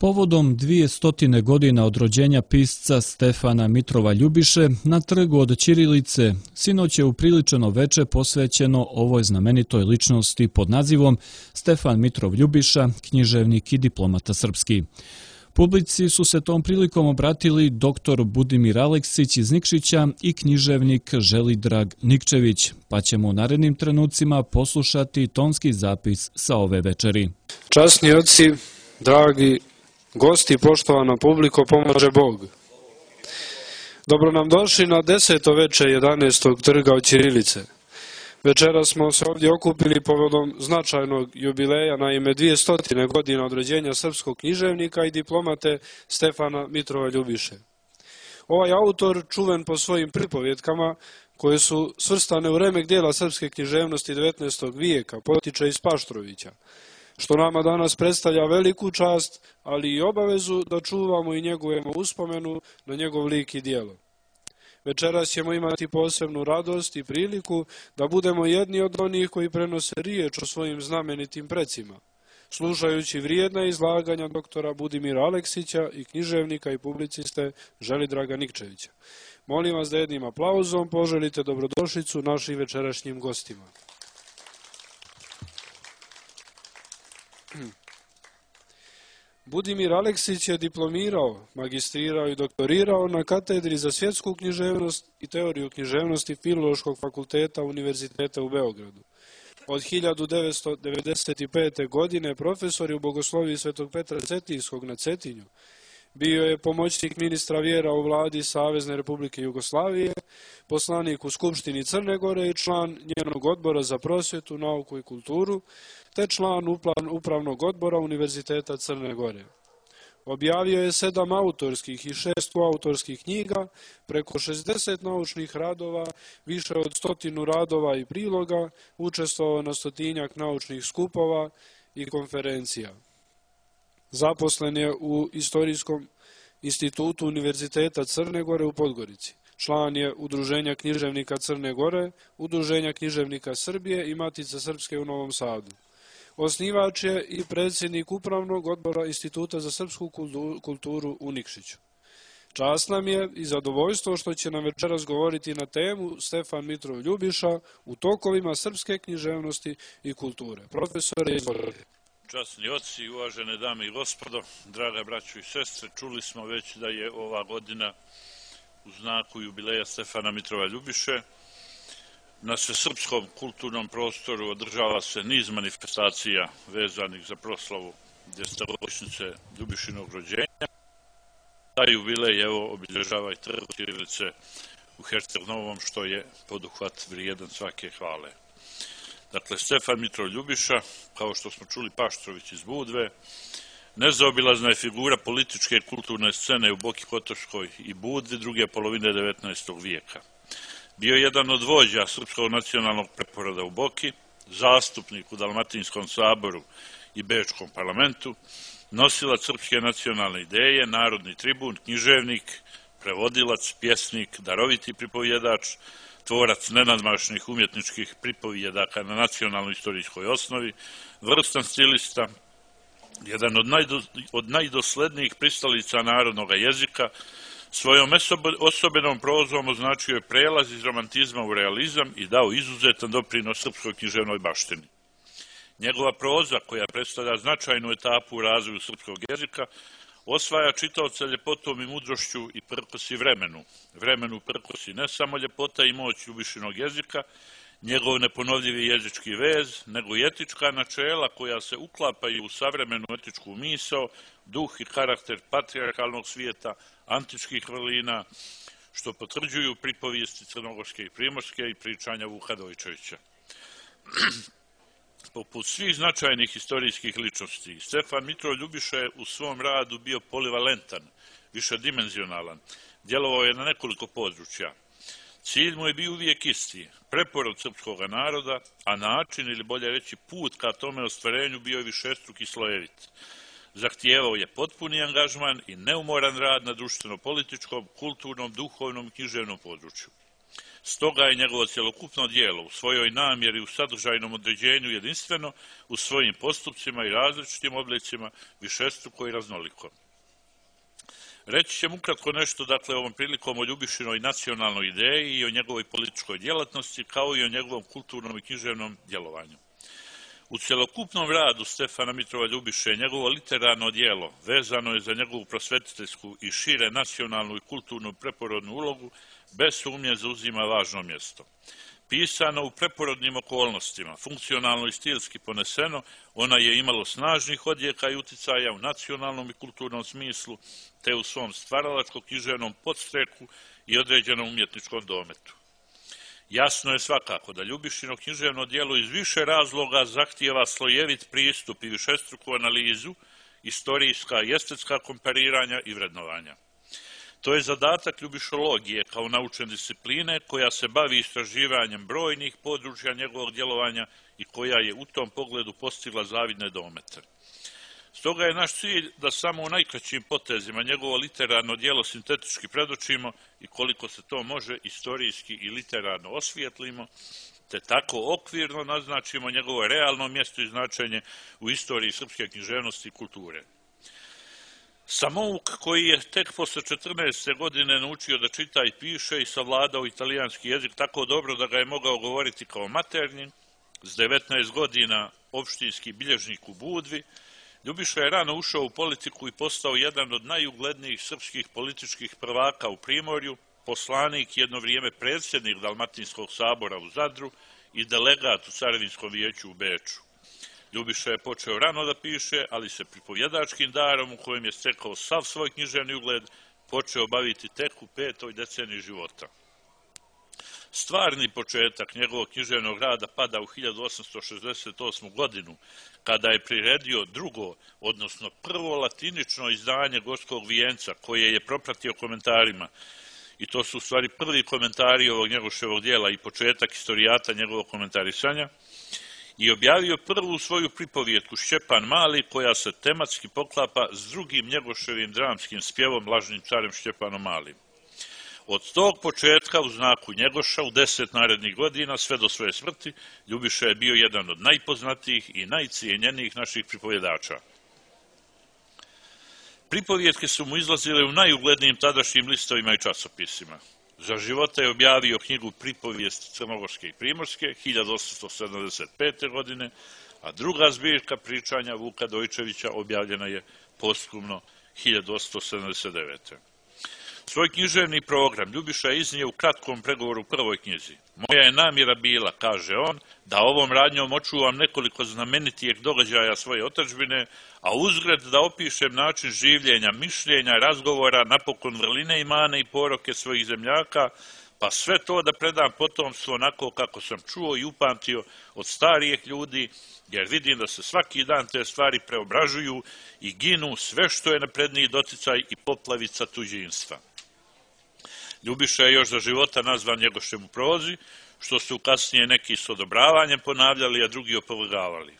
Povodom 200 godina od rođenja pisca Stefana Mitrova Ljubiše na trgu od ćirilice sinoć je upriličeno veče posvećeno ovoj znamenitoj ličnosti pod nazivom Stefan Mitrov Ljubiša, književnik i diplomata srpski. Publici su se tom prilikom obratili dr. Budimir Aleksić iz Nikšića i književnik Želidrag Nikčević, pa ćemo u narednim trenucima poslušati tonski zapis sa ove večeri. Časni oci, dragi gosti, poštovana publiko, pomaže Bog. Dobro nam došli na 10. veče 11. trga od ćirilice. Večera smo se ovdje okupili povodom značajnog jubileja, naime 200 godina od rođenja srpskog književnika i diplomate Stefana Mitrova Ljubiše. Ovaj autor, čuven po svojim pripovjetkama, koje su svrstane u remek dijela srpske književnosti 19. vijeka, potiče iz Paštrovića, što nama danas predstavlja veliku čast, ali i obavezu da čuvamo i njegujemo uspomenu na njegov lik i djelo. Večeras ćemo imati posebnu radost i priliku da budemo jedni od onih koji prenose riječ o svojim znamenitim precima, slušajući vrijedna izlaganja doktora Budimira Aleksića i književnika i publiciste Želidraga Nikčevića. Molim vas da jednim aplauzom poželite dobrodošlicu našim večerašnjim gostima. Budimir Aleksić je diplomirao, magistrirao i doktorirao na katedri za svjetsku književnost i teoriju književnosti Filološkog fakulteta Univerziteta u Beogradu. Od 1995. godine profesor je u Bogosloviji Svetog Petra Cetinjskog na Cetinju. Bio je pomoćnik ministra vjera u vladi Savezne Republike Jugoslavije, poslanik u Skupštini Crne Gore i član njenog odbora za prosvjetu, nauku i kulturu, te član upravnog odbora Univerziteta Crne Gore. Objavio je 7 autorskih i 6 autorskih knjiga, preko 60 naučnih radova, više od 100 radova i priloga, učestvovao na 100-tinjak naučnih skupova i konferencija. Zaposlen je u Istorijskom institutu Univerziteta Crne Gore u Podgorici. Član je Udruženja književnika Crne Gore, Udruženja književnika Srbije i Matice Srpske u Novom Sadu. Osnivač je i predsjednik Upravnog odbora Instituta za srpsku kulturu u Nikšiću. Čast nam je i zadovoljstvo što će nam večeras govoriti na temu Stefan Mitrov Ljubiša u tokovima srpske književnosti i kulture. Profesore, izvolite. Časni oci, uvažene dame i gospodo, draga braćo i sestre, čuli smo već da je ova godina u znaku jubileja Stefana Mitrova Ljubiše. Na svesrpskom kulturnom prostoru održava se niz manifestacija vezanih za proslavu desetogodišnjice Ljubišinog rođenja. Taj jubilej evo obilježava i trg ćirilice u Herceg Novom, što je poduhvat vrijedan svake hvale. Dakle, Stefan Mitrov Ljubiša, kao što smo čuli Paštrović iz Budve, nezaobilazna je figura političke i kulturne scene u Boki Kotorskoj i Budvi druge polovine 19. vijeka. Bio je jedan od vođa Srpskog nacionalnog preporoda u Boki, zastupnik u Dalmatinskom saboru i Bečkom parlamentu, nosilac srpske nacionalne ideje, narodni tribun, književnik, prevodilac, pjesnik, daroviti pripovjedač, tvorac nenadmašnih umjetničkih pripovjedaka na nacionalnoj istorijskoj osnovi, vrstan stilista, jedan od najdoslednijih pristalica narodnog jezika, svojom osobenom prozom označio je prelaz iz romantizma u realizam i dao izuzetan doprinos srpskoj književnoj baštini. Njegova proza, koja predstavlja značajnu etapu u razvoju srpskog jezika, osvaja čitaoca ljepotom i mudrošću i prkosi vremenu. Vremenu prkosi ne samo ljepota i moć Ljubišinog jezika, njegov neponovljivi jezički vez, nego i etička načela koja se uklapaju u savremenu etičku misao, duh i karakter patrijarhalnog svijeta, antičkih vrlina, što potvrđuju pripovijesti crnogorske i primorske i pričanja Vuka Dojčevića. Poput svih značajnih historijskih ličnosti, Stefan Mitrov Ljubiša je u svom radu bio polivalentan, višedimenzionalan, djelovao je na nekoliko područja. Cilj mu je bio uvijek isti, preporod srpskog naroda, a način, ili bolje reći put ka tome ostvarenju, bio je višestruk i slojevit. Zahtijevao je potpuni angažman i neumoran rad na društveno-političkom, kulturnom, duhovnom i književnom području. Stoga je njegovo cjelokupno djelo u svojoj namjeri u sadržajnom određenju jedinstveno, u svojim postupcima i različitim oblicima višestruko i raznoliko. Reći ćemo ukratko nešto, dakle, ovom prilikom o Ljubišinoj nacionalnoj ideji i o njegovoj političkoj djelatnosti, kao i o njegovom kulturnom i književnom djelovanju. U cjelokupnom radu Stefana Mitrova Ljubiše njegovo literarno djelo vezano je za njegovu prosvetiteljsku i šire nacionalnu i kulturnu preporodnu ulogu, bez sumnje zauzima važno mjesto. Pisano u preporodnim okolnostima, funkcionalno i stilski poneseno, ona je imalo snažnih odjeka i uticaja u nacionalnom i kulturnom smislu, te u svom stvaralačko-književnom podstreku i određenom umjetničkom dometu. Jasno je svakako da Ljubišino književno djelo iz više razloga zahtijeva slojevit pristup i višestruku analizu, istorijska i estetska kompariranja i vrednovanja. To je zadatak ljubišologije kao naučne discipline koja se bavi istraživanjem brojnih područja njegovog djelovanja i koja je u tom pogledu postigla zavidne domete. Stoga je naš cilj da samo u najkraćim potezima njegovo literarno djelo sintetički predočimo i koliko se to može istorijski i literarno osvijetlimo, te tako okvirno naznačimo njegovo realno mjesto i značenje u istoriji srpske književnosti i kulture. Samouk, koji je tek posle 14. godine naučio da čita i piše i savladao italijanski jezik tako dobro da ga je mogao govoriti kao maternji, s 19 godina opštinski bilježnik u Budvi, Ljubiša je rano ušao u politiku i postao jedan od najuglednijih srpskih političkih prvaka u Primorju, poslanik, jedno vrijeme predsjednik Dalmatinskog sabora u Zadru i delegat u Carevinskom vijeću u Beču. Ljubiša je počeo rano da piše, ali se pripovjedačkim darom u kojem je stekao sav svoj književni ugled počeo baviti tek u 5. deceniji života. Stvarni početak njegovog književnog rada pada u 1868. godinu, kada je priredio drugo, odnosno prvo latinično izdanje Gorskog vijenca, koje je propratio komentarima. I to su u stvari prvi komentari ovog Njegoševog djela i početak istorijata njegovog komentarisanja, i objavio prvu svoju pripovjetku Šćepan Mali, koja se tematski poklapa s drugim Njegoševim dramskim spjevom Lažnim carem Šćepanom Malim. Od tog početka u znaku Njegoša u 10 narednih godina sve do svoje smrti Ljubiša je bio jedan od najpoznatijih i najcijenjenijih naših pripovjedača. Pripovjetke su mu izlazile u najuglednijim tadašnjim listovima i časopisima. Za života je objavio knjigu Pripovijest crnogorske i primorske 1875. godine, a druga zbirka pričanja Vuka Dojčevića objavljena je posthumno 1879. Svoj književni program Ljubiša je iznio u kratkom pregovoru u prvoj knjizi. Moja je namjera bila, kaže on, da ovom radnjom očuvam nekoliko znamenitijeg događaja svoje otadžbine, a uzgred da opišem način življenja, mišljenja, razgovora, napokon vrline i mane i poroke svojih zemljaka, pa sve to da predam potomstvu onako kako sam čuo i upamtio od starijih ljudi, jer vidim da se svaki dan te stvari preobražuju i ginu sve što je napredniji doticaj i poplavica tuđinstva. Ljubiša je još za života nazvan Njegošem u prozi, što su kasnije neki s odobravanjem ponavljali, a drugi opovrgavali.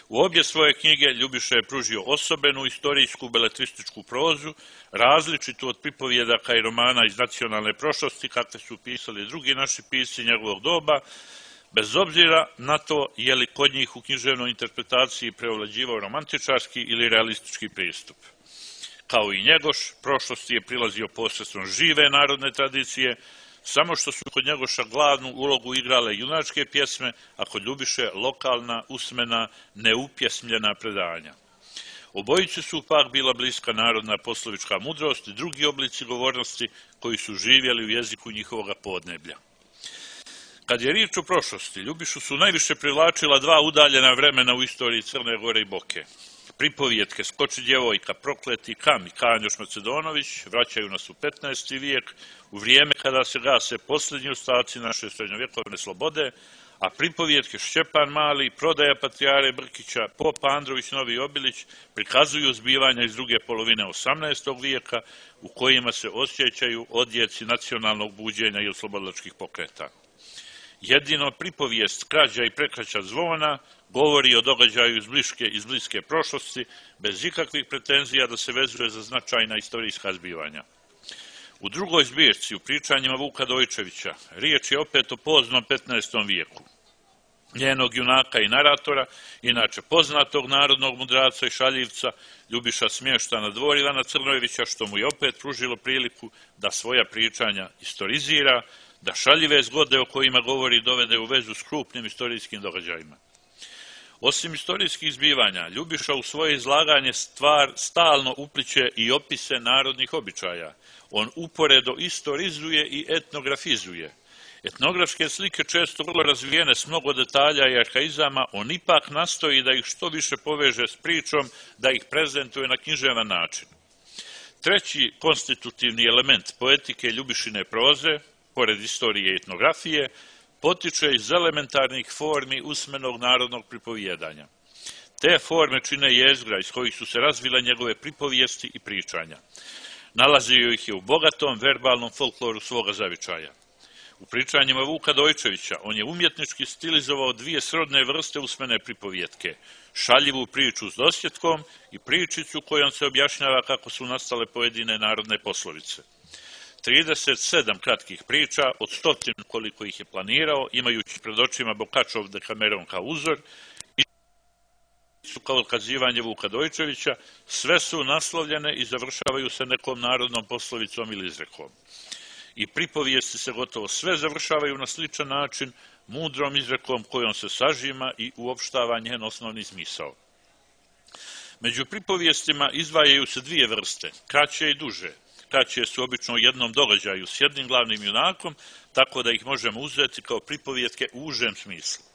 U obje svoje knjige Ljubiša je pružio osobenu istorijsku beletrističku prozu, različitu od pripovjedaka i romana iz nacionalne prošlosti, kakve su pisali drugi naši pisci njegovog doba, bez obzira na to je li kod njih u književnoj interpretaciji preovlađivao romantičarski ili realistički pristup. Kao i Njegoš, prošlosti je prilazio posredstvom žive narodne tradicije, samo što su kod Njegoša glavnu ulogu igrale junačke pjesme, a kod Ljubiše lokalna, usmena, neupjesmljena predanja. Obojici su pak bila bliska narodna poslovička mudrost i drugi oblici govornosti koji su živjeli u jeziku njihovoga podneblja. Kad je riječ o prošlosti, Ljubišu su najviše privlačila dva udaljena vremena u istoriji Crne Gore i Boke. Pripovjetke Skoči djevojka, Prokleti Kam i Kanjoš Macedonović vraćaju nas u 15. vijek, u vrijeme kada se gase posljednji ostaci naše srednjovjekovne slobode, a pripovjetke Šćepan Mali, Prodaja Patrijare Brkića, Pop Andrović Novi Obilić prikazuju zbivanja iz druge polovine 18. vijeka u kojima se osjećaju odjeci nacionalnog buđenja i oslobodilačkih pokreta. Jedino pripovijest Krađa i prekraća zvona govori o događaju iz bliske prošlosti, bez ikakvih pretenzija da se vezuje za značajna istorijska zbivanja. U drugoj zbirci, u pričanjima Vuka Dojčevića, riječ je opet o poznom 15. vijeku. Njenog junaka i naratora, inače poznatog narodnog mudraca i šaljivca, Ljubiša smješta na dvor Ivana Crnojevića, što mu je opet pružilo priliku da svoja pričanja istorizira, da šaljive zgode o kojima govori dovede u vezu s krupnim istorijskim događajima. Osim istorijskih zbivanja, Ljubiša u svoje izlaganje stalno upliće i opise narodnih običaja. On uporedo istorizuje i etnografizuje. Etnografske slike često vrlo razvijene s mnogo detalja i arhaizama, on ipak nastoji da ih što više poveže s pričom, da ih prezentuje na književan način. Treći konstitutivni element poetike Ljubišine proze, pored istorije i etnografije, potiče iz elementarnih formi usmenog narodnog pripovijedanja. Te forme čine jezgra iz kojih su se razvile njegove pripovijesti i pričanja. Nalazio ih je u bogatom verbalnom folkloru svoga zavičaja. U pričanjima Vuka Dojčevića on je umjetnički stilizovao dvije srodne vrste usmene pripovjetke, šaljivu priču s dosjetkom i pričicu kojom se objašnjava kako su nastale pojedine narodne poslovice. 37 kratkih priča, od 100 koliko ih je planirao, imajući pred očima Bokačov Dekameron kao uzor, i su kao otkazivanje Vuka Dojčevića, sve su naslovljene i završavaju se nekom narodnom poslovicom ili izrekom. I pripovijesti se gotovo sve završavaju na sličan način, mudrom izrekom kojom se sažima i uopštava njen osnovni smisao. Među pripovijestima izdvajaju se dvije vrste, kraće i duže. Kraće su obično u jednom događaju s jednim glavnim junakom, tako da ih možemo uzeti kao pripovijetke u užem smislu.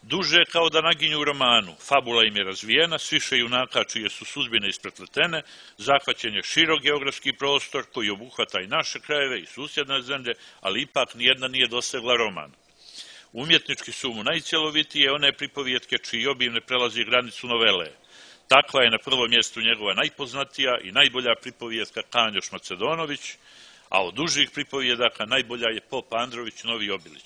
Duže kao da naginju u romanu, fabula im je razvijena, s više junaka čije su sudbine isprepletene, zahvaćen je širok geografski prostor koji obuhvata i naše krajeve i susjedne zemlje, ali ipak nijedna nije dosegla roman. Umjetnički su mu najcjelovitije one pripovijetke čiji obim ne prelazi granicu novele. Takva je na prvom mjestu njegova najpoznatija i najbolja pripovijetka Kanjoš Macedonović, a od dužih pripovijedaka najbolja je Pop Andrović Novi Obilić.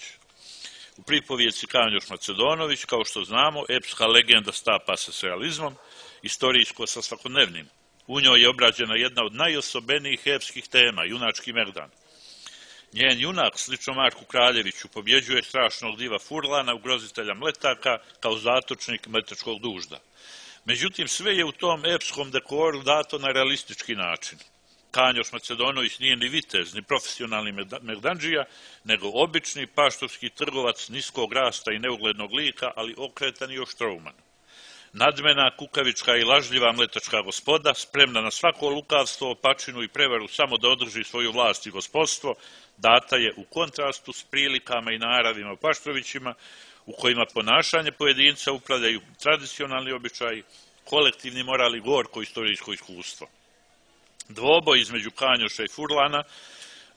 U pripovijetci Kanjoš Macedonović, kao što znamo, epska legenda stapa se s realizmom, istorijsko sa svakodnevnim. U njoj je obrađena jedna od najosobenijih epskih tema, junački Merdan. Njen junak, slično Marku Kraljeviću, pobjeđuje strašnog diva Furlana, ugrozitelja Mletaka, kao zatočnik Mletačkog dužda. Međutim, sve je u tom epskom dekoru dato na realistički način. Kanjoš Macedonović nije ni vitez, ni profesionalni merdandžija, nego obični paštovski trgovac niskog rasta i neuglednog lika, ali okretan i oštrouman. Nadmena, kukavička i lažljiva mletačka gospoda, spremna na svako lukavstvo, opačinu i prevaru samo da održi svoju vlast i gospodstvo, data je u kontrastu s prilikama i naravima u Paštrovićima, u kojima ponašanje pojedinca upravljaju tradicionalni običaji, kolektivni moral i gorko istorijsko iskustvo. Dvoboj između Kanjoša i Furlana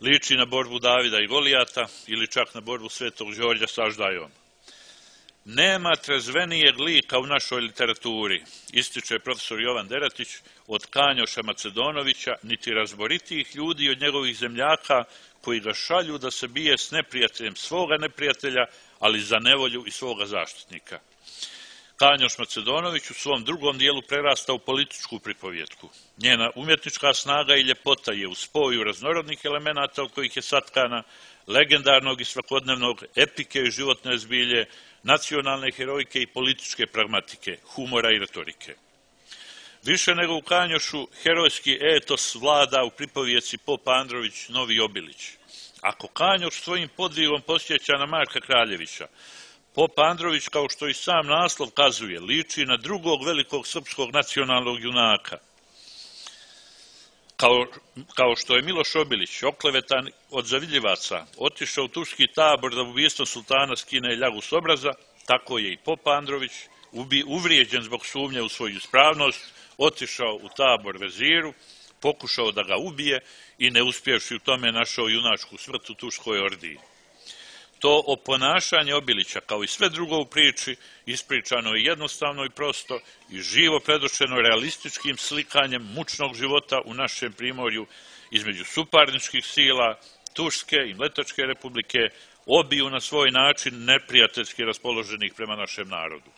liči na borbu Davida i Golijata ili čak na borbu Svetog Đorđa s Aždajom. Nema trezvenijeg lika u našoj literaturi, ističe profesor Jovan Deratić, od Kanjoša Macedonovića, niti razboritijih ljudi od njegovih zemljaka koji ga šalju da se bije s neprijateljem svoga neprijatelja, ali za nevolju i svoga zaštitnika. Kanjoš Macedonović u svom drugom dijelu prerasta u političku pripovjetku. Njena umjetnička snaga i ljepota je u spoju raznorodnih elemenata od kojih je satkana, legendarnog i svakodnevnog, epike i životne zbilje, nacionalne herojke i političke pragmatike, humora i retorike. Više nego u Kanjošu, herojski etos vlada u pripovjetci Pop Andrović Novi Obilić. Ako Kanjoš svojim podvigom posjeća na Marka Kraljevića, Pop Andrović, kao što i sam naslov kazuje, liči na drugog velikog srpskog nacionalnog junaka. Kao što je Miloš Obilić, oklevetan od zavidljivaca, otišao u turski tabor da ubijstvo sultana skine ljagu s obraza, tako je i Pop Andrović, uvrijeđen zbog sumnje u svoju ispravnost, otišao u tabor veziru, pokušao da ga ubije i ne uspjevši u tome našao junačku smrt u turskoj ordiji. To oponašanje Obilića, kao i sve drugo u priči, ispričano je jednostavno i prosto i živo predočeno realističkim slikanjem mučnog života u našem primorju između suparničkih sila, Turske i Mletačke republike, obiju na svoj način neprijateljski raspoloženih prema našem narodu.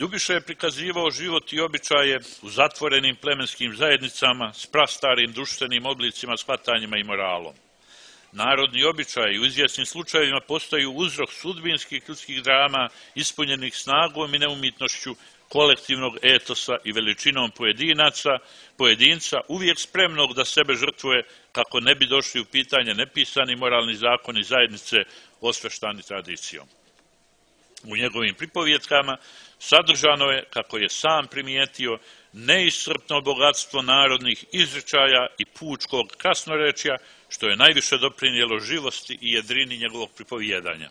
Ljubiša je prikazivao život i običaje u zatvorenim plemenskim zajednicama s prastarim društvenim oblicima, shvatanjima i moralom. Narodni običaji u izvjesnim slučajevima postaju uzrok sudbinskih ljudskih drama ispunjenih snagom i neumitnošću kolektivnog etosa i veličinom pojedinca, uvijek spremnog da sebe žrtvuje kako ne bi došli u pitanje nepisani moralni zakoni zajednice osveštani tradicijom. U njegovim pripovjetkama sadržano je, kako je sam primijetio, neiscrpno bogatstvo narodnih izričaja i pučkog krasnorečja, što je najviše doprinijelo živosti i jedrini njegovog pripovijedanja.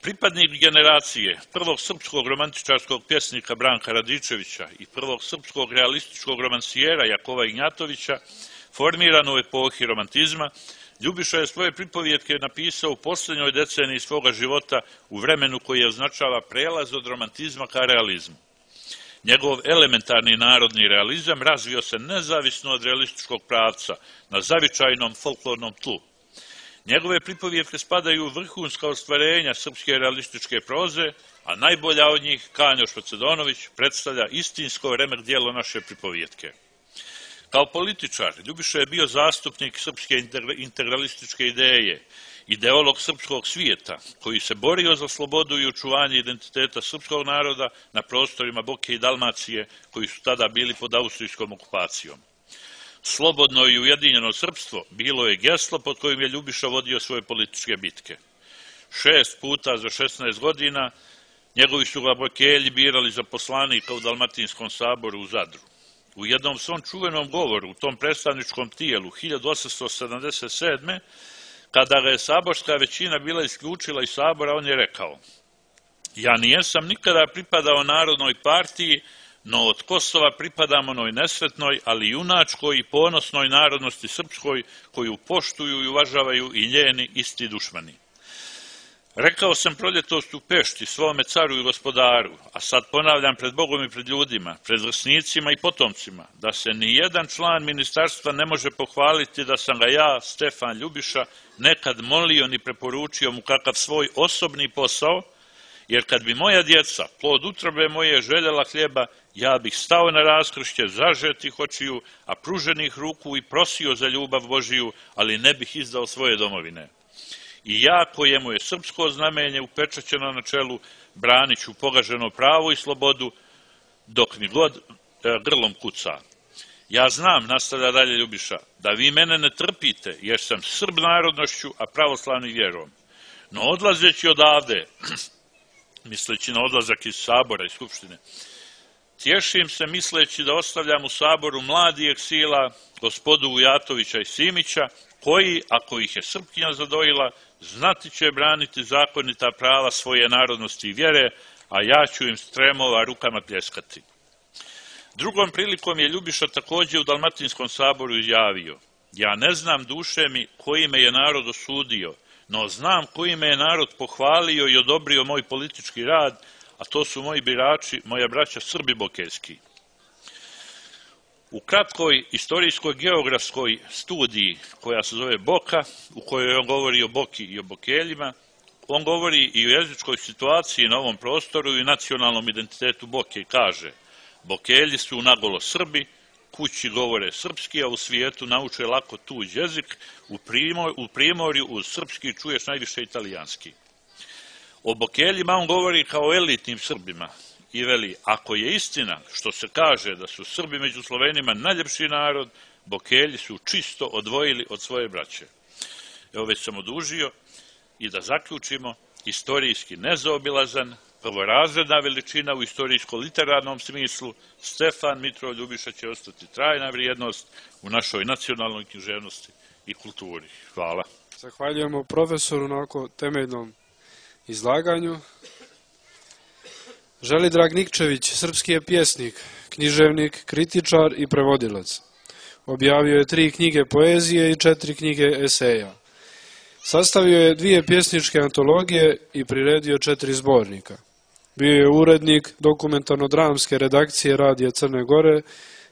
Pripadnik generacije prvog srpskog romantičarskog pjesnika Branka Radičevića i prvog srpskog realističkog romansijera Jakova Ignjatovića, formiran u epohi romantizma, Ljubiša je svoje pripovjetke napisao u posljednjoj deceniji svoga života u vremenu koji označava prelaz od romantizma ka realizmu. Njegov elementarni narodni realizam razvio se nezavisno od realističkog pravca na zavičajnom folklornom tlu. Njegove pripovjetke spadaju u vrhunska ostvarenja srpske realističke proze, a najbolja od njih, Kanjo Špocedonović, predstavlja istinsko remek dijelo naše pripovjetke. Kao političar, Ljubiša je bio zastupnik srpske integralističke ideje, ideolog srpskog svijeta, koji se borio za slobodu i očuvanje identiteta srpskog naroda na prostorima Boke i Dalmacije, koji su tada bili pod austrijskom okupacijom. Slobodno i ujedinjeno srpstvo bilo je geslo pod kojim je Ljubiša vodio svoje političke bitke. 6 puta za 16 godina njegovi su ga bokelji birali za poslanika u Dalmatinskom saboru u Zadru. U jednom svom čuvenom govoru u tom predstavničkom tijelu 1877. kada ga je saborska većina bila isključila iz sabora, on je rekao: "Ja nijesam nikada pripadao Narodnoj partiji, no od Kosova pripadam onoj nesretnoj, ali junačkoj i ponosnoj narodnosti srpskoj, koju poštuju i uvažavaju i njeni isti dušmani. Rekao sam proljetos u Pešti svome caru i gospodaru, a sad ponavljam pred Bogom i pred ljudima, pred vrsnicima i potomcima, da se ni jedan član ministarstva ne može pohvaliti da sam ga ja, Stefan Ljubiša, nekad molio ni preporučio mu kakav svoj osobni posao, jer kad bi moja djeca, plod utrobe moje, željela hljeba, ja bih stao na raskršće zažetih očiju, a pruženih ruku i prosio za ljubav Božiju, ali ne bih izdao svoje domovine. I ja, kojemu je srpsko znamenje upečaćeno na čelu, branit ću pogaženo pravo i slobodu, dok mi god grlom kuca. Ja znam, nastavlja dalje Ljubiša, da vi mene ne trpite, jer sam Srb narodnošću, a pravoslavni vjerom. No odlazeći odavde, misleći na odlazak iz sabora i skupštine, tješim se misleći da ostavljam u saboru mladi eksila, gospodu Vujatovića i Simića, koji, ako ih je Srpkinja zadojila, znati će braniti zakonita prava svoje narodnosti i vjere, a ja ću im stremova rukama pljeskati. Drugom prilikom je Ljubiša također u Dalmatinskom saboru izjavio: ja ne znam, duše mi, koji me je narod osudio, no znam koji me je narod pohvalio i odobrio moj politički rad, a to su moji birači, moja braća Srbi bokeljski. U kratkoj istorijskoj geografskoj studiji koja se zove Boka, u kojoj on govori o Boki i o Bokeljima, on govori i o jezičkoj situaciji na ovom prostoru i nacionalnom identitetu Boke i kaže: Bokelji su nagolo Srbi, kući govore srpski, a u svijetu nauče lako tuđ jezik, u primorju uz srpski čuješ najviše italijanski. O Bokeljima on govori kao elitnim Srbima i veli: ako je istina što se kaže da su Srbi među Slovenima najljepši narod, Bokelji su čisto odvojili od svoje braće. Evo, već sam odužio i da zaključimo, istorijski nezaobilazan, prvorazredna veličina u istorijsko-literarnom smislu, Stefan Mitrov Ljubiša će ostati trajna vrijednost u našoj nacionalnoj književnosti i kulturi. Hvala. Zahvaljujemo profesoru na ovako temeljnom izlaganju. Želidrag Nikčević, srpski je pjesnik, književnik, kritičar i prevodilac. Objavio je 3 knjige poezije i 4 knjige eseja. Sastavio je 2 pjesničke antologije i priredio 4 zbornika. Bio je urednik dokumentarno-dramske redakcije Radija Crne Gore,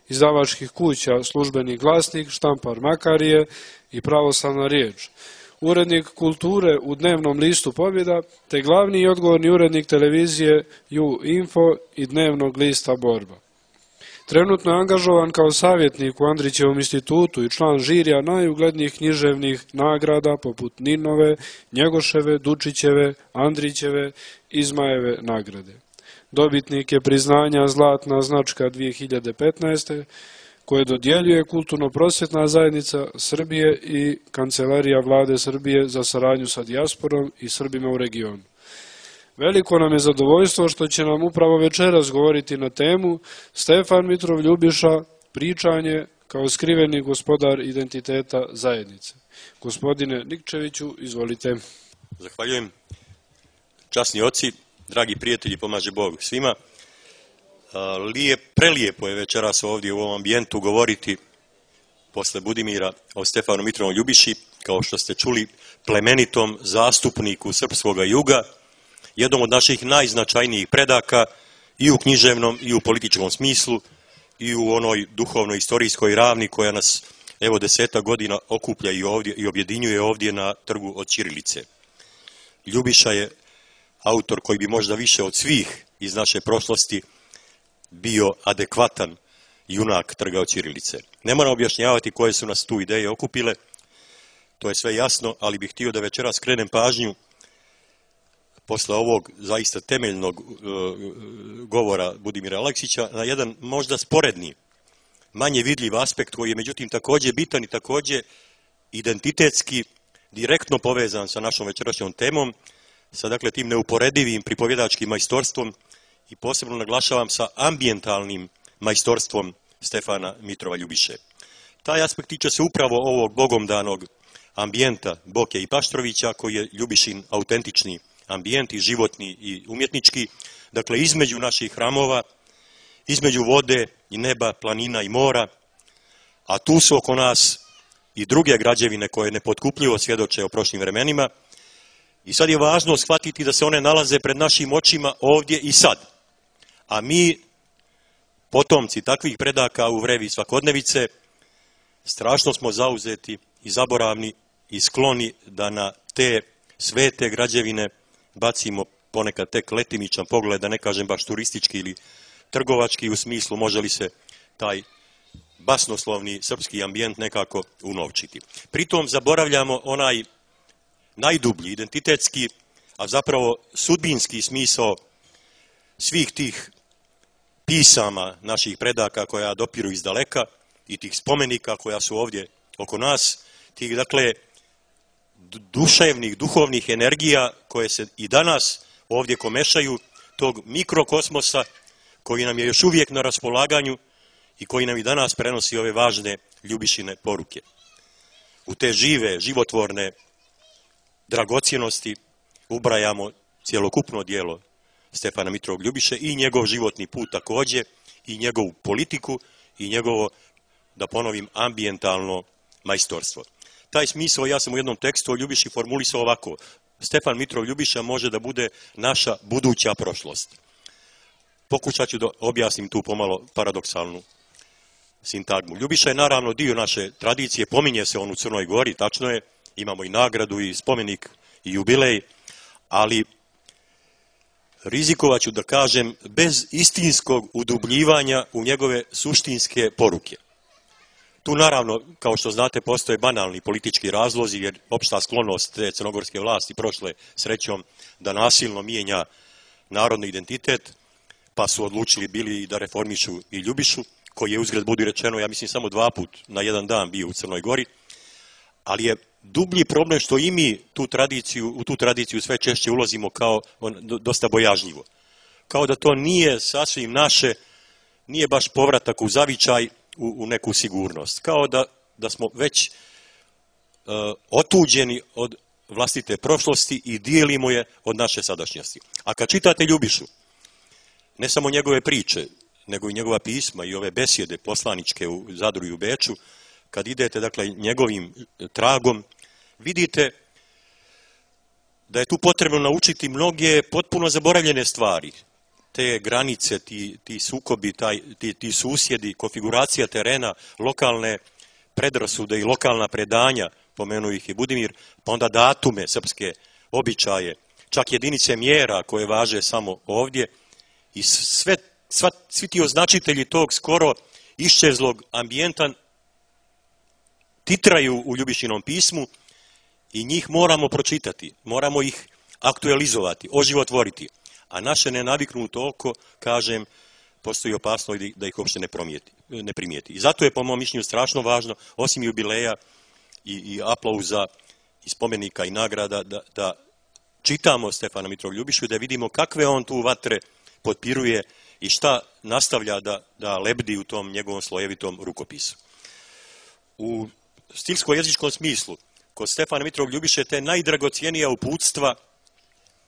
izdavačkih kuća Službeni glasnik, Štampar Makarije i Pravoslavna riječ. urednik kulture u dnevnom listu Pobjeda, te glavni i odgovorni urednik televizije U-Info i dnevnog lista Borba. Trenutno je angažovan kao savjetnik u Andrićevom institutu i član žirija najuglednijih književnih nagrada poput Ninove, Njegoševe, Dučićeve, Andrićeve i Zmajeve nagrade. Dobitnik je priznanja Zlatna značka 2015. koje dodjeljuje Kulturno-prosvjetna zajednica Srbije i Kancelarija vlade Srbije za saradnju sa dijasporom i Srbima u regionu. Veliko nam je zadovoljstvo što će nam upravo večeras govoriti na temu Stefan Mitrov Ljubiša, pričanje kao skriveni gospodar identiteta zajednice. Gospodine Nikčeviću, izvolite. Zahvaljujem. Časni oci, dragi prijatelji, pomaže Bog svima. Prelijepo je večeras ovdje u ovom ambijentu govoriti posle Budimira o Stefanu Mitrovom Ljubiši, kao što ste čuli, plemenitom zastupniku srpskog juga, jednom od naših najznačajnijih predaka i u književnom i u političkom smislu i u onoj duhovno-istorijskoj ravni koja nas evo 10 godina okuplja i ovdje i objedinjuje ovdje na trgu od ćirilice. Ljubiša je autor koji bi možda više od svih iz naše prošlosti bio adekvatan junak trga od ćirilice. Ne moram objašnjavati koje su nas tu ideje okupile, to je sve jasno, ali bih htio da večeras skrenem pažnju posle ovog zaista temeljnog govora Budimira Aleksića na jedan možda sporedni, manje vidljiv aspekt koji je međutim također bitan i također identitetski direktno povezan sa našom večerašnjom temom, sa dakle tim neuporedivim pripovjedačkim majstorstvom i posebno naglašavam sa ambijentalnim majstorstvom Stefana Mitrova Ljubiše. Taj aspekt tiče se upravo ovog bogomdanog ambijenta Boke i Paštrovića koji je Ljubišin autentični ambijent i životni i umjetnički, dakle između naših hramova, između vode i neba, planina i mora, a tu su oko nas i druge građevine koje nepotkupljivo svjedoče o prošlim vremenima i sad je važno shvatiti da se one nalaze pred našim očima ovdje i sad. A mi, potomci takvih predaka u vrevi svakodnevice, strašno smo zauzeti i zaboravni i skloni da na te svete građevine bacimo ponekad tek letimičan pogled, da ne kažem baš turistički ili trgovački u smislu može li se taj basnoslovni srpski ambijent nekako unovčiti. Pritom zaboravljamo onaj najdublji, identitetski, a zapravo sudbinski smisao svih tih pisama naših predaka koja dopiru iz daleka i tih spomenika koja su ovdje oko nas, tih dakle duševnih, duhovnih energija koje se i danas ovdje komešaju, tog mikrokosmosa koji nam je još uvijek na raspolaganju i koji nam i danas prenosi ove važne Ljubišine poruke. U te žive, životvorne dragocjenosti ubrajamo cjelokupno djelo Stefana Mitrovog Ljubiše i njegov životni put također i njegovu politiku i njegovo, da ponovim, ambijentalno majstorstvo. Taj smisao ja sam u jednom tekstu o Ljubiši formulisao ovako. Stefan Mitrov Ljubiša može da bude naša buduća prošlost. Pokušat ću da objasnim tu pomalo paradoksalnu sintagmu. Ljubiša je naravno dio naše tradicije, pominje se on u Crnoj Gori, tačno je, imamo i nagradu i spomenik i jubilej, ali rizikovat ću da kažem bez istinskog udubljivanja u njegove suštinske poruke. Tu naravno, kao što znate, postoje banalni politički razlozi, jer opšta sklonost te crnogorske vlasti prošle srećom da nasilno mijenja narodni identitet, pa su odlučili bili da reformišu i Ljubišu, koji je uzgred budi rečeno, ja mislim, samo 2 puta na jedan dan bio u Crnoj Gori, ali je dublji problem što i mi u tu tradiciju sve češće ulazimo kao dosta bojažljivo. Kao da to nije sasvim naše, nije baš povratak u zavičaj, u neku sigurnost. Kao da smo već otuđeni od vlastite prošlosti i dijelimo je od naše sadašnjosti. A kad čitate Ljubišu, ne samo njegove priče, nego i njegova pisma i ove besjede poslaničke u Zadru i u Beču, kad idete dakle njegovim tragom, vidite da je tu potrebno naučiti mnoge potpuno zaboravljene stvari. Te granice, ti sukobi, ti susjedi, konfiguracija terena, lokalne predrasude i lokalna predanja, pomenuo ih i Budimir, pa onda datume srpske, običaje, čak jedinice mjera koje važe samo ovdje i svi ti označitelji tog skoro iščezlog ambijenta titraju u Ljubišinom pismu i njih moramo pročitati, moramo ih aktualizovati, oživotvoriti. A naše nenaviknuto oko, kažem, postoji opasnost da ih uopšte ne primijeti. I zato je po mom mišljenju strašno važno, osim jubileja i aplauza i spomenika i nagrada, da čitamo Stefana Mitrova Ljubišu i da vidimo kakve on tu vatre potpiruje i šta nastavlja da lebdi u tom njegovom slojevitom rukopisu. U stilsko-jezičkom smislu, kod Stefana Mitrova Ljubiše te najdragocijenija uputstva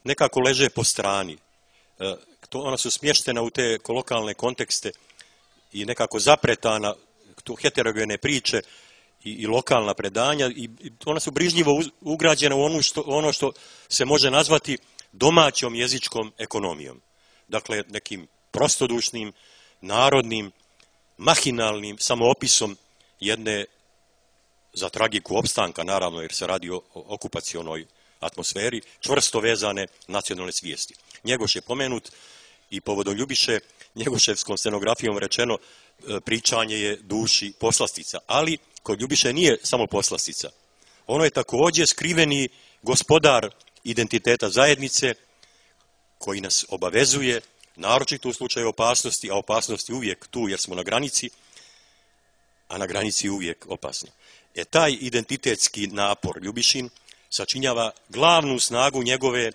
nekako leže po strani. Ona su smještena u te kolokalne kontekste i nekako zapretana heterogene priče i lokalna predanja i ona su brižljivo ugrađena u ono što se može nazvati domaćom jezičkom ekonomijom. Dakle, nekim prostodušnim, narodnim, mahinalnim samoopisom jedne, za tragiku opstanka, naravno, jer se radi o okupacionoj atmosferi, čvrsto vezane nacionalne svijesti. Njegoš je pomenut i povodom Ljubiše, njegoševskom scenografijom rečeno, pričanje je duši poslastica. Ali kod Ljubiše nije samo poslastica. Ono je također skriveni gospodar identiteta zajednice koji nas obavezuje, naročito u slučaju opasnosti, a opasnost je uvijek tu jer smo na granici, a na granici je uvijek opasno. Taj identitetski napor Ljubišin sačinjava glavnu snagu njegove,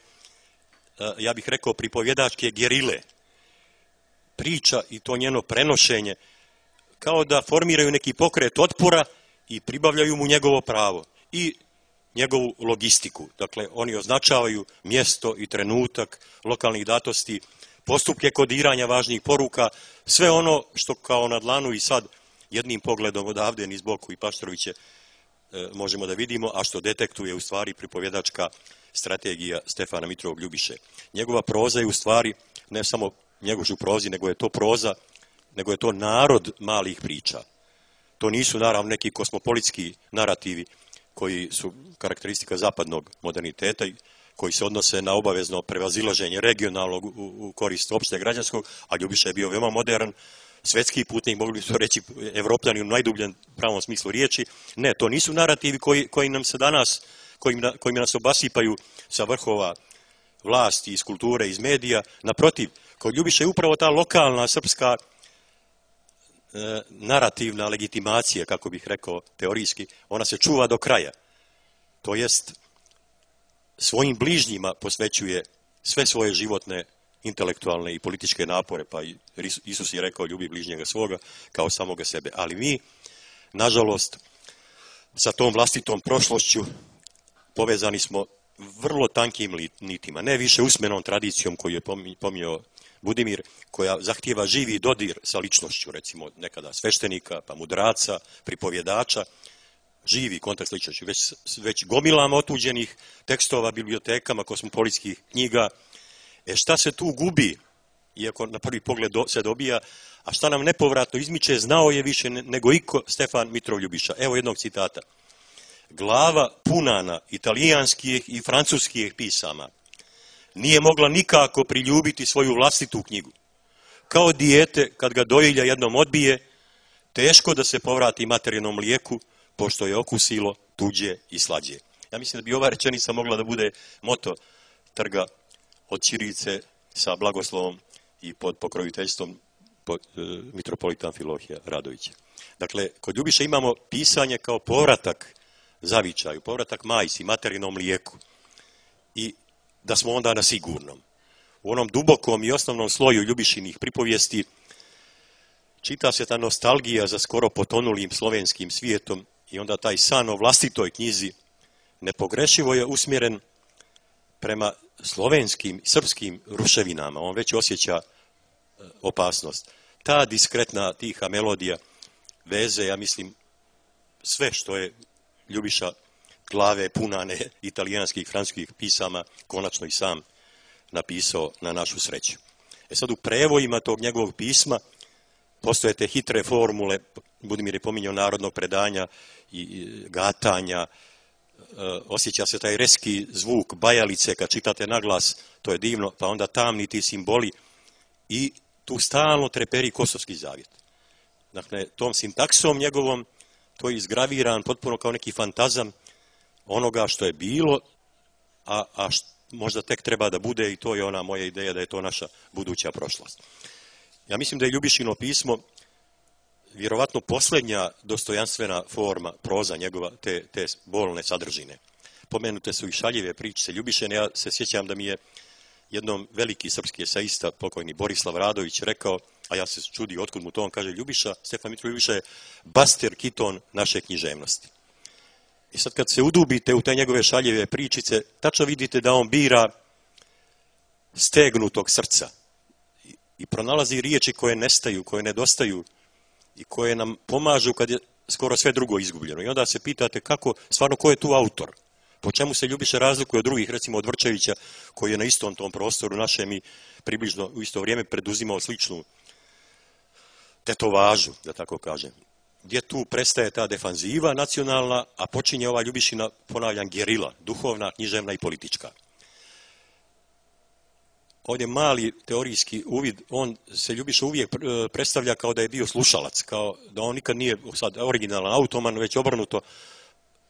ja bih rekao, pripovjedačke gerile. Priča i to njeno prenošenje kao da formiraju neki pokret otpora i pribavljaju mu njegovo pravo i njegovu logistiku. Dakle, oni označavaju mjesto i trenutak lokalnih datosti, postupke kodiranja važnih poruka, sve ono što kao na dlanu i sad jednim pogledom odavde niz boku i Paštoroviće možemo da vidimo, a što detektuje u stvari pripovjedačka strategija Stefana Mitrovog Ljubiše. Njegova proza je u stvari ne samo njegovu prozi, nego je to proza, nego je to narod malih priča. To nisu naravno neki kosmopolitski narativi koji su karakteristika zapadnog moderniteta i koji se odnose na obavezno prevazilaženje regionalnog u korist opšte građanskog, a Ljubiša je bio veoma modern, svetski putnik, mogli bi to reći Evropljani u najdubljem pravom smislu riječi. Ne, to nisu narativi koji nam se danas, kojima nas obasipaju sa vrhova vlasti, iz kulture, iz medija. Naprotiv, kod Ljubiša je upravo ta lokalna srpska narativna legitimacija, kako bih rekao teorijski, ona se čuva do kraja. To jest, svojim bližnjima posvećuje sve svoje životne, intelektualne i političke napore, pa i Isus je rekao ljubi bližnjega svoga kao samoga sebe. Ali mi, nažalost, sa tom vlastitom prošlošću povezani smo vrlo tankim nitima, ne više usmenom tradicijom koju je pominjao Budimir, koja zahtijeva živi dodir sa ličnošću, recimo nekada sveštenika, pa mudraca, pripovjedača, živi kontakt s ličnošću, već gomilama otuđenih tekstova, bibliotekama, kosmopolitskih knjiga. Šta se tu gubi, iako na prvi pogled se dobija, a šta nam nepovratno izmiče, znao je više nego iko Stefan Mitrov Ljubiša. Evo jednog citata. Glava punana italijanskih i francuskih pisama nije mogla nikako priljubiti svoju vlastitu knjigu. Kao dijete, kad ga dojilja jednom odbije, teško da se povrati materijalnom mlijeku, pošto je okusilo tuđe i slađe. Ja mislim da bi ova rečenica mogla da bude moto trga od ćirilice sa blagoslovom i pod pokroviteljstvom mitropolita Amfilohija Radovića. Dakle, kod Ljubiše imamo pisanje kao povratak zavičaju, povratak majci, materijalnom mlijeku i da smo onda na sigurnom. U onom dubokom i osnovnom sloju Ljubišinih pripovijesti čita se ta nostalgija za skoro potonulim slovenskim svijetom i onda taj san o vlastitoj knjizi nepogrešivo je usmjeren prema slovenskim, srpskim ruševinama. On već osjeća opasnost. Ta diskretna, tiha melodija veze, ja mislim, sve što je Ljubiša glave punane italijanskih, francuskih pisama konačno i sam napisao na našu sreću. Sad u prevojima tog njegovog pisma postoje te hitre formule, Budimir je pominjao narodnog predanja i gatanja, osjeća se taj reski zvuk bajalice kad čitate naglas, to je divno, pa onda tamni ti simboli i tu stalno treperi Kosovski zavjet. Dakle, tom sintaksom njegovom to je izgraviran potpuno kao neki fantazam onoga što je bilo, a možda tek treba da bude, i to je ona moja ideja da je to naša buduća prošlost. Ja mislim da je Ljubišino pismo vjerovatno posljednja dostojanstvena forma proza njegova, te bolne sadržine. Pomenute su i šaljive pričice Ljubišene. Ja se sjećam da mi je jednom veliki srpski eseista, pokojni Borislav Radović, rekao, a ja se čudio otkud mu to, on kaže, Stefan Mitrović Ljubiša je Baster Kiton naše književnosti. I sad kad se udubite u te njegove šaljive pričice, tačno vidite da on bira stegnutog srca i pronalazi riječi koje nestaju, koje nedostaju i koje nam pomažu kad je skoro sve drugo izgubljeno. I onda se pitate kako, stvarno, ko je tu autor? Po čemu se Ljubiša razlikuje od drugih, recimo od Vrčevića, koji je na istom tom prostoru našem i približno u isto vrijeme preduzimao sličnu tetovažu, da tako kažem. Gdje tu prestaje ta defanziva nacionalna, a počinje ova Ljubišina, ponavljam, gerila, duhovna, književna i politička. Ovdje mali teorijski uvid, on se Ljubiša uvijek predstavlja kao da je bio slušalac, kao da on nikad nije sad originalan automan, već obrnuto,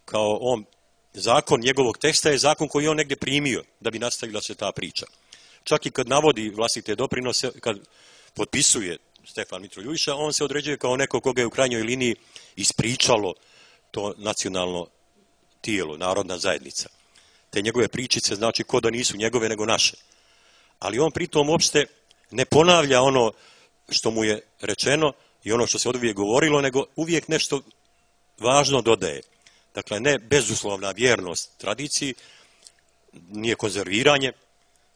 kao on, zakon njegovog teksta je zakon koji je on negdje primio da bi nastavila se ta priča. Čak i kad navodi vlastite doprinose, kad potpisuje Stefan Mitrović Ljubiša, on se određuje kao neko koga je u krajnjoj liniji ispričalo to nacionalno tijelo, narodna zajednica. Te njegove pričice znači ko da nisu njegove nego naše. Ali on pritom uopšte ne ponavlja ono što mu je rečeno i ono što se od uvijek govorilo, nego uvijek nešto važno dodaje. Dakle, ne bezuslovna vjernost tradiciji, nije konzerviranje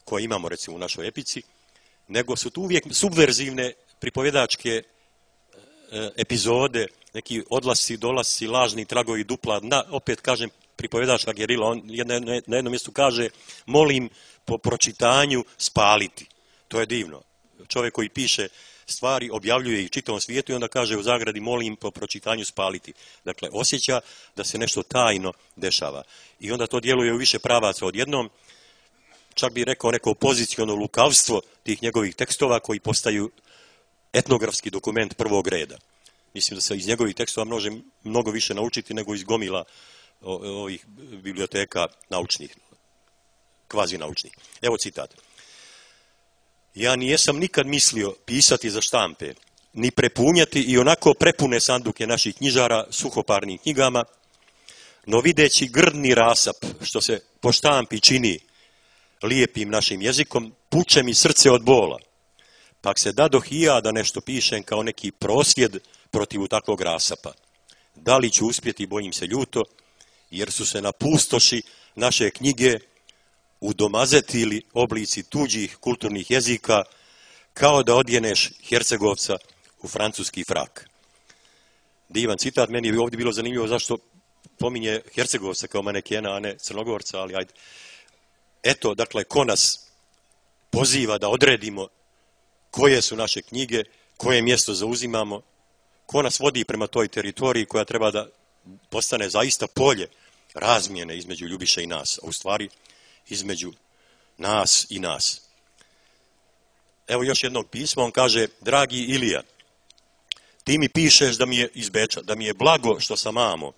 koje imamo recimo u našoj epici, nego su tu uvijek subverzivne pripovjedačke epizode, neki odlasci, dolasci, lažni tragovi dupla, opet kažem pripovjedačka gerila, on na jednom mjestu kaže molim po pročitanju spaliti. To je divno. Čovjek koji piše stvari, objavljuje ih čitavom svijetu i onda kaže u zagradi molim po pročitanju spaliti. Dakle, osjeća da se nešto tajno dešava. I onda to djeluje u više pravaca odjednom. Čak bi rekao neko poziciono lukavstvo tih njegovih tekstova koji postaju etnografski dokument prvog reda. Mislim da se iz njegovih tekstova može mnogo više naučiti nego iz gomila ovih biblioteka naučnih, kvazi naučnih. Evo citat. Ja nijesam nikad mislio pisati za štampe, ni prepunjati i onako prepune sanduke naših knjižara suhoparnim knjigama, no videći grdni rasap što se po štampi čini lijepim našim jezikom, puče mi srce od bola. Pak se dadoh i ja da nešto pišem kao neki prosvjed protiv takvog rasapa. Da li ću uspjeti, bojim se ljuto, jer su se na pustoši naše knjige udomazetili oblici tuđih kulturnih jezika, kao da odjeneš Hercegovca u francuski frak. Divan citat, meni je ovdje bilo zanimljivo zašto pominje Hercegovca kao manekena, a ne Crnogorca, ali ajde. Eto, dakle, ko nas poziva da odredimo koje su naše knjige, koje mjesto zauzimamo, ko nas vodi prema toj teritoriji koja treba da postane zaista polje razmjene između Ljubiše i nas, a u stvari između nas i nas. Evo još jednog pisma, on kaže, dragi Ilija, ti mi pišeš da mi je iz Beča, da mi je blago što sam amo,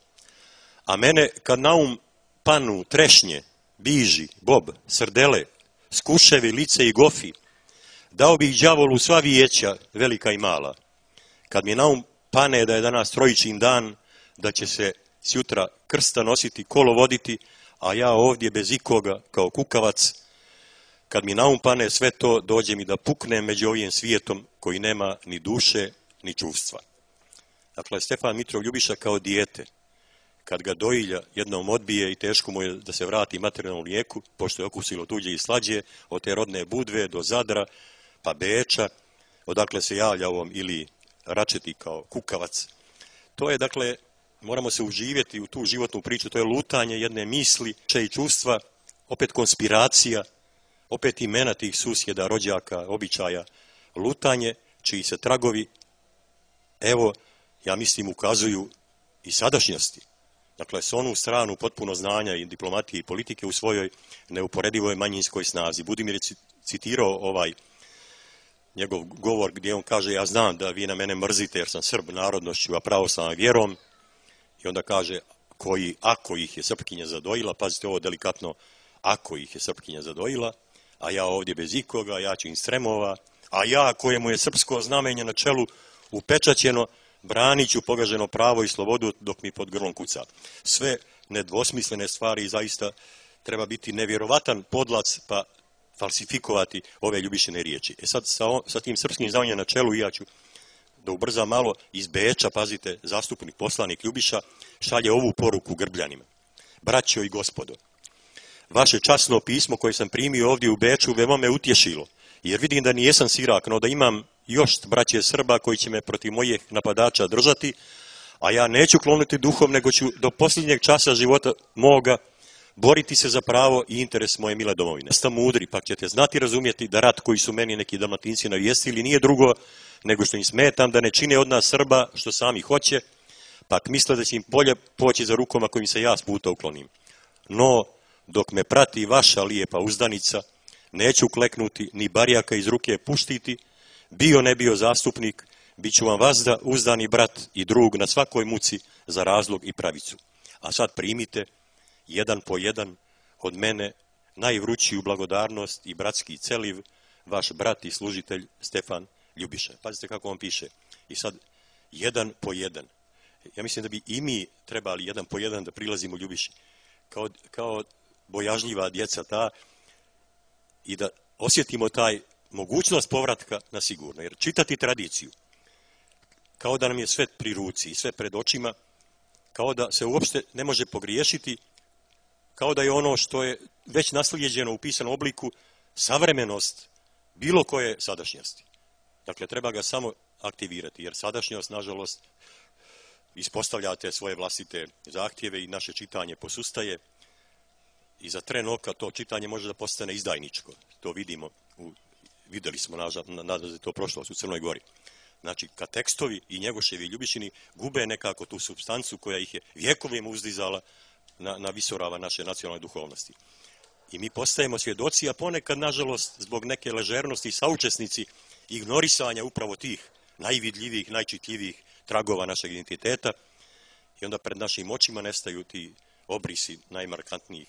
a mene kad na um panu trešnje, biži, bob, srdele, skuševi, lice i gofi, dao bih đavolu sva vijeća, velika i mala. Kad mi na um pane da je danas trojičin dan, da će se sjutra krsta nositi, kolo voditi, a ja ovdje bez ikoga kao kukavac, kad mi na um pane sve to, dođe mi da puknem među ovim svijetom koji nema ni duše, ni čuvstva. Dakle, Stefan Mitrov Ljubiša kao dijete, kad ga dojilja jednom odbije i teško mu je da se vrati materijalnom lijeku, pošto je okusilo tuđe i slađe, od te rodne Budve do Zadra, pa Beča, odakle se javlja ovom ili Račeti kao kukavac. To je, dakle, moramo se uživjeti u tu životnu priču, to je lutanje jedne misli, i čustva, opet konspiracija, opet imena tih susjeda, rođaka, običaja, lutanje, čiji se tragovi, evo, ja mislim, ukazuju i sadašnjosti. Dakle, s onu stranu potpuno znanja i diplomatije i politike u svojoj neuporedivoj manjinskoj snazi. Budimir je citirao ovaj njegov govor gdje on kaže: ja znam da vi na mene mrzite jer sam Srb narodnošću, a pravoslavnom vjerom. I onda kaže: ako ih je Srpkinja zadojila, pazite ovo delikatno, ako ih je Srpkinja zadojila, a ja ovdje bez ikoga, ja ću im stremova, a ja kojemu je srpsko znamenje na čelu upečaćeno, branit ću pogaženo pravo i slobodu dok mi pod grlom kuca. Sve nedvosmislene stvari, zaista treba biti nevjerovatan podlac pa falsifikovati ove Ljubišine riječi. Sad sa tim srpskim znamenjem na čelu, ja ću da ubrzam malo, iz Beča, pazite, zastupnik poslanik Ljubiša šalje ovu poruku Grbljanima. Braćo i gospodo, vaše časno pismo koje sam primio ovdje u Beču veoma me utješilo, jer vidim da nijesam sirak, no da imam još braće Srba koji će me protiv mojih napadača držati, a ja neću kloniti duhom, nego ću do posljednjeg časa života moga boriti se za pravo i interes moje mile domovine. Ste mudri, pa ćete znati razumjeti da rat koji su meni neki Dalmatinci navijestili nije drugo nego što im smetam da ne čine od nas Srba što sami hoće, pak misle da će im bolje poći za rukom ako im se ja s puta uklonim. No, dok me prati vaša lijepa uzdanica, neću kleknuti ni barjaka iz ruke puštiti, bio ne bio zastupnik, bit ću vam vazda, uzdani brat i drug na svakoj muci za razlog i pravicu. A sad primite, jedan po jedan, od mene najvrućiju blagodarnost i bratski celiv, vaš brat i služitelj Stefan Ljubiša. Pazite kako on piše. I sad, jedan po jedan. Ja mislim da bi i mi trebali jedan po jedan da prilazimo Ljubiši. Kao bojažljiva djeca ta i da osjetimo taj mogućnost povratka na sigurno. Jer čitati tradiciju, kao da nam je sve pri ruci i sve pred očima, kao da se uopšte ne može pogriješiti, kao da je ono što je već naslijeđeno u pisanom obliku savremenost bilo koje sadašnjosti. Dakle, treba ga samo aktivirati, jer sadašnjost, nažalost, ispostavljate svoje vlastite zahtjeve i naše čitanje posustaje i za tren oka to čitanje može da postane izdajničko. To vidimo, vidjeli smo, nadam se to prošlost u Crnoj Gori. Znači, kad tekstovi i Njegoševi i Ljubišini gube nekako tu supstancu koja ih je vjekovima uzdizala na visorava naše nacionalne duhovnosti. I mi postajemo svjedoci, a ponekad, nažalost, zbog neke ležernosti i saučesnici ignorisanja upravo tih najvidljivijih, najčitljivijih tragova našeg identiteta i onda pred našim očima nestaju ti obrisi najmarkantnijih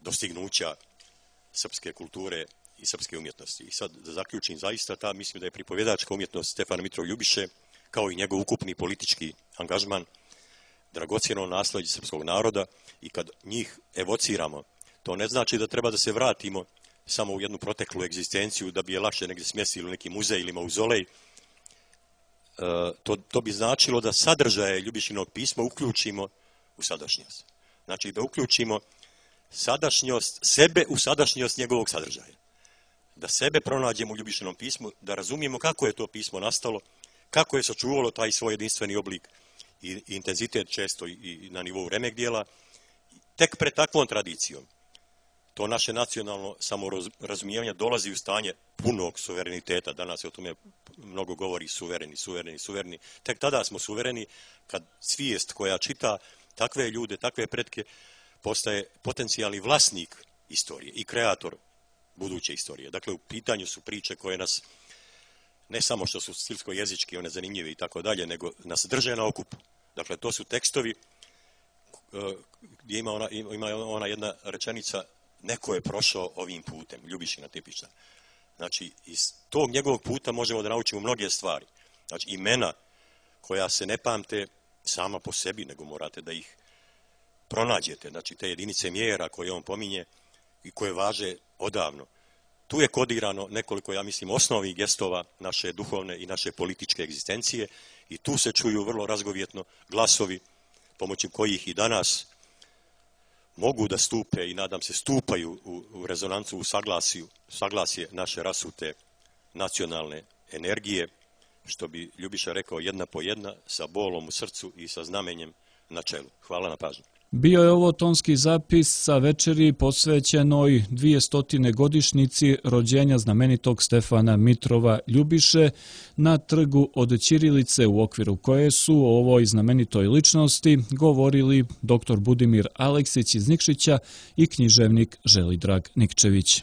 dostignuća srpske kulture i srpske umjetnosti. I sad da zaključim, zaista mislim da je pripovjedačka umjetnost Stefana Mitrova Ljubiše, kao i njegov ukupni politički angažman, dragocjeno naslijeđe srpskog naroda i kad njih evociramo, to ne znači da treba da se vratimo samo u jednu proteklu egzistenciju da bi je lakše negdje smjestili u neki muzej ili mauzolej. To bi značilo da sadržaje Ljubišinog pisma uključimo u sadašnjost. Znači da uključimo sadašnjost sebe u sadašnjost njegovog sadržaja. Da sebe pronađemo u Ljubišinom pismu, da razumijemo kako je to pismo nastalo, kako je sačuvalo taj svoj jedinstveni oblik i intenzitet često i na nivou remek dijela. Tek pred takvom tradicijom to naše nacionalno samorazumijevanje dolazi u stanje punog suvereniteta. Danas se o tome mnogo govori, suvereni. Tek tada smo suvereni kad svijest koja čita takve ljude, takve pretke, postaje potencijalni vlasnik istorije i kreator buduće istorije. Dakle, u pitanju su priče koje nas, ne samo što su stilsko-jezički, one zanimljive i tako dalje, nego nas drže na okupu. Dakle, to su tekstovi gdje ima ona jedna rečenica: neko je prošao ovim putem, Ljubišina tipična. Znači, iz tog njegovog puta možemo da naučimo mnoge stvari. Znači, imena koja se ne pamte sama po sebi, nego morate da ih pronađete. Znači, te jedinice mjera koje on pominje i koje važe odavno. Tu je kodirano nekoliko, ja mislim, osnovnih gestova naše duhovne i naše političke egzistencije i tu se čuju vrlo razgovjetno glasovi pomoću kojih i danas mogu da stupe i nadam se stupaju u rezonancu, u saglasje naše rasute nacionalne energije, što bi Ljubiša rekao, jedna po jedna, sa bolom u srcu i sa znamenjem na čelu. Hvala na pažnju. Bio je ovo tonski zapis sa večeri posvećenoj 200. godišnjici rođenja znamenitog Stefana Mitrova Ljubiše na trgu od ćirilice, u okviru koje su o ovoj znamenitoj ličnosti govorili dr. Budimir Aleksić iz Nikšića i književnik Želidrag Nikčević.